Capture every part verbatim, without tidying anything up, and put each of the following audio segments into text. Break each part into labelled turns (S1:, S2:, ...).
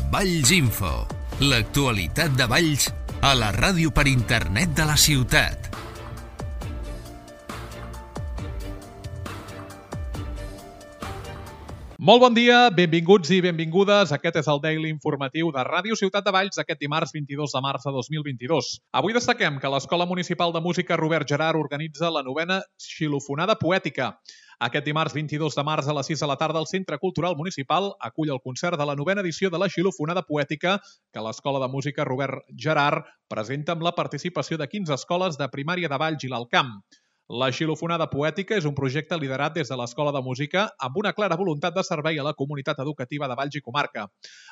S1: Valls Info, l'actualitat de Valls a la ràdio per internet de la ciutat.
S2: Molt bon dia, benvinguts i benvingudes. Aquest és el Daily Informatiu de Ràdio Ciutat de Valls aquest dimarts vint-i-dos de març de dos mil vint-i-dos. Avui destaquem que l'Escola Municipal de Música Robert Gerhard organitza la novena Xilofonada Poètica. Aquest dimarts vint-i-dos de març a les sis de la tarda el Centre Cultural Municipal acull el concert de la novena edició de la Xilofonada Poètica que l'Escola de Música Robert Gerhard presenta amb la participació de quinze escoles de primària de Valls i l'Alt Camp. La Xilofonada Poètica és un projecte liderat des de l'Escola de Música amb una clara voluntat de servei a la comunitat educativa de Valls i comarca.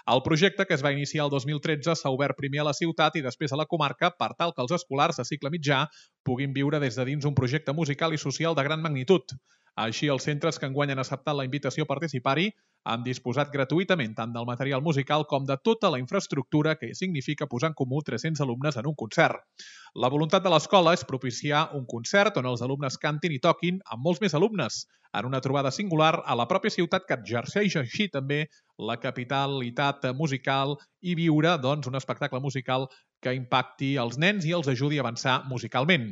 S2: El projecte, que es va iniciar el dos mil tretze, s'ha obert primer a la ciutat i després a la comarca per tal que els escolars de cicle mitjà puguin viure des de dins un projecte musical i social de gran magnitud. Així, els centres que enguany han acceptat la invitació a participar-hi han disposat gratuïtament tant del material musical com de tota la infraestructura que significa posar en comú tres-cents alumnes en un concert. La voluntat de l'escola és propiciar un concert on els alumnes cantin i toquin amb molts més alumnes, en una trobada singular a la pròpia ciutat que exerceix així també la capitalitat musical i viure doncs, un espectacle musical que impacti els nens i els ajudi a avançar musicalment.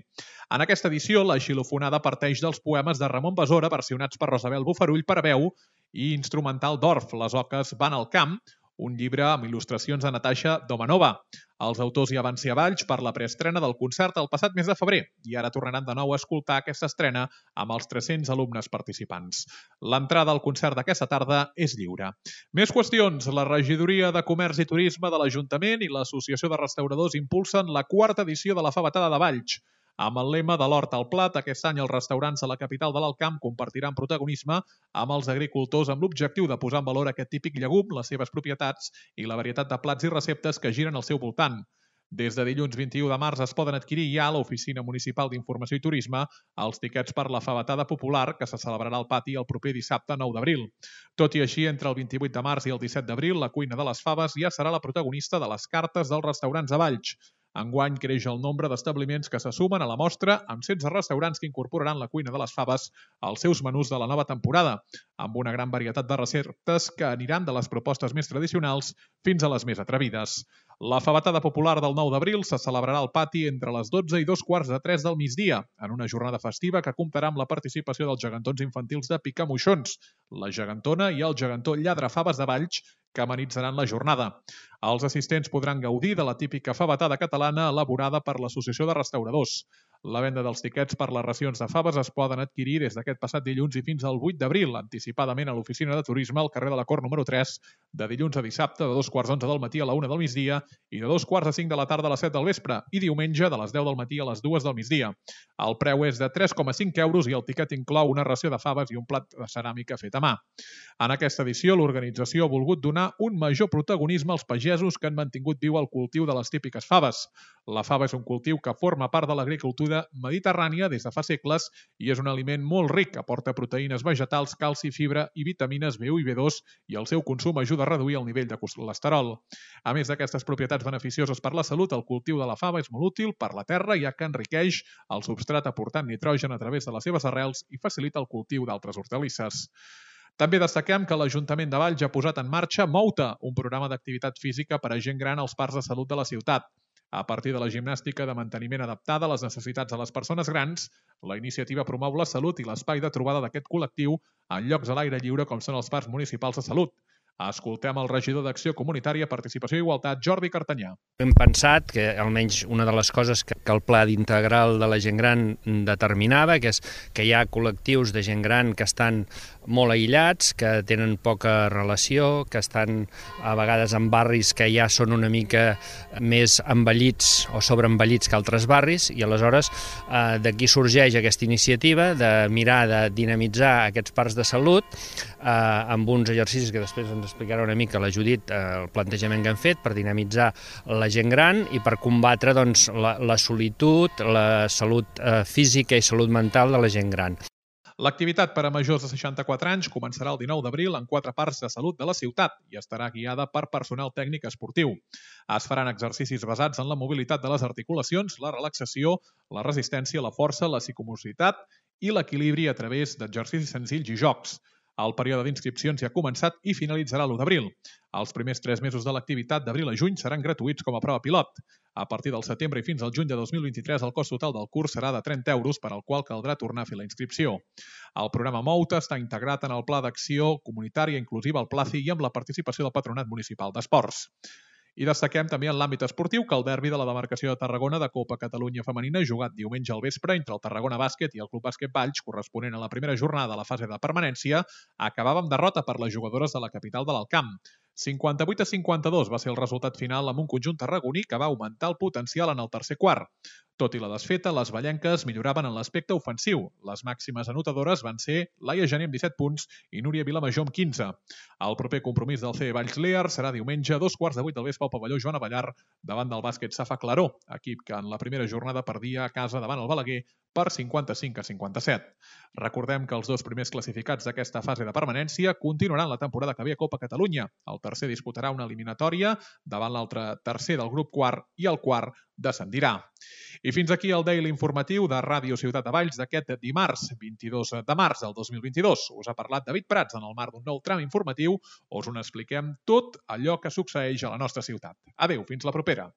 S2: En aquesta edició, la Xilofonada parteix dels poemes de Ramon Besora, versionats per Rosabel Bofarull per a veu i instrumental d'Orf, Les oques van al camp, un llibre amb il·lustracions de Natasha Domanova. Els autors ja van ser a Valls per la preestrena del concert el passat mes de febrer i ara tornaran de nou a escoltar aquesta estrena amb els tres-cents alumnes participants. L'entrada al concert d'aquesta tarda és lliure. Més qüestions. La Regidoria de Comerç i Turisme de l'Ajuntament i l'Associació de Restauradors impulsen la quarta edició de la Fabatada de Valls. Amb el lema de l'hort al plat, aquest any els restaurants de la capital de l'Alt Camp compartiran protagonisme amb els agricultors amb l'objectiu de posar en valor aquest típic llegum, les seves propietats i la varietat de plats i receptes que giren al seu voltant. Des de dilluns vint-i-u de març es poden adquirir ja a l'Oficina Municipal d'Informació i Turisme els tiquets per la Fabatada Popular que se celebrarà al pati el proper dissabte nou d'abril. Tot i així, entre el vint-i-vuit de març i el disset d'abril, la cuina de les faves ja serà la protagonista de les cartes dels restaurants de Valls. Enguany creix el nombre d'establiments que se sumen a la mostra amb setze restaurants que incorporaran la cuina de les faves als seus menús de la nova temporada, amb una gran varietat de receptes que aniran de les propostes més tradicionals fins a les més atrevides. La Fabatada Popular del nou d'abril se celebrarà al pati entre les dotze i dos quarts de tres del migdia, en una jornada festiva que comptarà amb la participació dels gegantons infantils de Picamoixons, la gegantona i el gegantó Lladrafaves de Valls, que amenitzaran la jornada. Els assistents podran gaudir de la típica fabatada catalana elaborada per l'Associació de Restauradors. La venda dels tiquets per les racions de faves es poden adquirir des d'aquest passat dilluns i fins al vuit d'abril, anticipadament a l'Oficina de Turisme al carrer de la Cort número tres, de dilluns a dissabte de dos quarts d'onze del matí a la una del migdia i de dos quarts a cinc de la tarda a les set del vespre i diumenge de les deu del matí a les dues del migdia. El preu és de tres coma cinc euros i el tiquet inclou una ració de faves i un plat de ceràmica fet a mà. En aquesta edició, l'organització ha volgut donar un major protagonisme als pagesos que han mantingut viu el cultiu de les típiques faves. La fava és un cultiu que forma part de l'agricultura mediterrània des de fa segles i és un aliment molt ric, aporta proteïnes vegetals, calci, fibra i vitamines B u i B dos i el seu consum ajuda a reduir el nivell de colesterol. A més d'aquestes propietats beneficioses per la salut, el cultiu de la fava és molt útil per la terra ja que enriqueix el substrat aportant nitrogen a través de les seves arrels i facilita el cultiu d'altres hortalisses. També destaquem que l'Ajuntament de Valls ha posat en marxa Mouta, un programa d'activitat física per a gent gran als parcs de salut de la ciutat. A partir de la gimnàstica de manteniment adaptada a les necessitats de les persones grans, la iniciativa promou la salut i l'espai de trobada d'aquest col·lectiu en llocs a l'aire lliure com són els parcs municipals de salut. Escoltem el regidor d'Acció Comunitària, Participació i Igualtat, Jordi Cartanyà.
S3: Hem pensat que almenys una de les coses que el Pla d'integral de la gent gran determinava, que és que hi ha col·lectius de gent gran que estan molt aïllats, que tenen poca relació, que estan a vegades en barris que ja són una mica més envellits o sobreenvellits que altres barris, i aleshores eh, d'aquí sorgeix aquesta iniciativa de mirar de dinamitzar aquests parcs de salut eh, amb uns exercicis que després ens explicarà una mica la Judit, eh, el plantejament que han fet per dinamitzar la gent gran i per combatre doncs, la, la solitud, la salut eh, física i salut mental de la gent gran.
S2: L'activitat per a majors de seixanta-quatre anys començarà el dinou d'abril en quatre parcs de salut de la ciutat i estarà guiada per personal tècnic esportiu. Es faran exercicis basats en la mobilitat de les articulacions, la relaxació, la resistència, la força, la psicomocitat i l'equilibri a través d'exercicis senzills i jocs. El període d'inscripcions ja ha començat i finalitzarà l'u d'abril. Els primers tres mesos de l'activitat d'abril a juny seran gratuïts com a prova pilot. A partir del setembre i fins al juny de dos mil vint-i-tres, el cost total del curs serà de trenta euros, per al qual caldrà tornar a fer la inscripció. El programa Mouta està integrat en el Pla d'Acció Comunitària Inclusiva, el PLACI, i amb la participació del Patronat Municipal d'Esports. I destaquem també en l'àmbit esportiu que el derbi de la demarcació de Tarragona de Copa Catalunya Femenina, jugat diumenge al vespre entre el Tarragona Bàsquet i el Club Bàsquet Valls, corresponent a la primera jornada de la fase de permanència, acabava amb derrota per les jugadores de la capital de l'Alt Camp. cinquanta-vuit a cinquanta-dos va ser el resultat final amb un conjunt tarragoní que va augmentar el potencial en el tercer quart. Tot i la desfeta, les vallenques milloraven en l'aspecte ofensiu. Les màximes anotadores van ser Laia Gené amb disset punts i Núria Vilamajor amb quinze. El proper compromís del C E Valls Lear serà diumenge a dos quarts de vuit del vespre al pavelló Joan Avellar davant del bàsquet Safa Claró, equip que en la primera jornada perdia a casa davant el Balaguer per cinquanta-cinc a cinquanta-set. Recordem que els dos primers classificats d'aquesta fase de permanència continuaran la temporada que ve a Copa Catalunya. El tercer disputarà una eliminatòria davant l'altre tercer del grup quart i el quart descendirà. I fins aquí el Daily informatiu de Ràdio Ciutat de Valls d'aquest dimarts, vint-i-dos de març del dos mil vint-i-dos. Us ha parlat David Prats en el marc d'un nou tram informatiu on us expliquem tot allò que succeeix a la nostra ciutat. Adéu, fins la propera.